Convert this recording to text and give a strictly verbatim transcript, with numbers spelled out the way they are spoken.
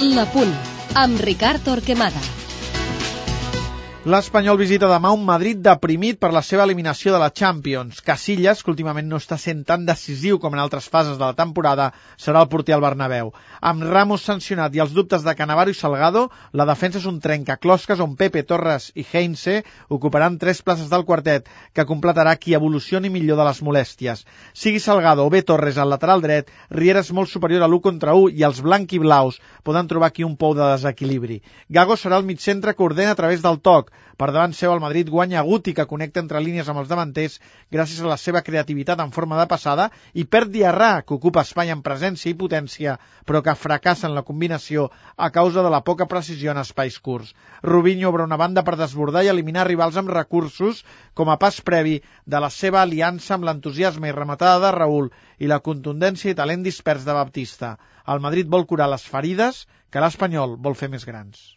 L'Apunt, amb Ricard Torquemada. L'Espanyol visita demà un Madrid deprimit per la seva eliminació de la Champions. Casillas, que últimament no està sent tan decisiu com en altres fases de la temporada, serà el porter al Bernabéu. Amb Ramos sancionat i els dubtes de Cannavaro i Salgado, la defensa és un trencaclosques on Pepe, Torres i Heinze ocuparan tres places del quartet, que completarà qui evolucioni millor de les molèsties. Sigui Salgado o bé Torres al lateral dret, Riera és molt superior a l'u contra u i els blanc-i-blaus poden trobar aquí un pou de desequilibri. Gago serà el mitcentre que ordena a través del toc. Per davant seu, el Madrid guanya Guti, que connecta entre línies amb els davanters gràcies a la seva creativitat en forma de passada, i perd Diarra, que ocupa espai en presència i potència, però que fracassa en la combinació a causa de la poca precisió en espais curts. Robinho obre una banda per desbordar i eliminar rivals amb recursos, com a pas previ de la seva aliança amb l'entusiasme i rematada de Raúl i la contundència i talent dispers de Baptista. El Madrid vol curar les ferides que l'Espanyol vol fer més grans.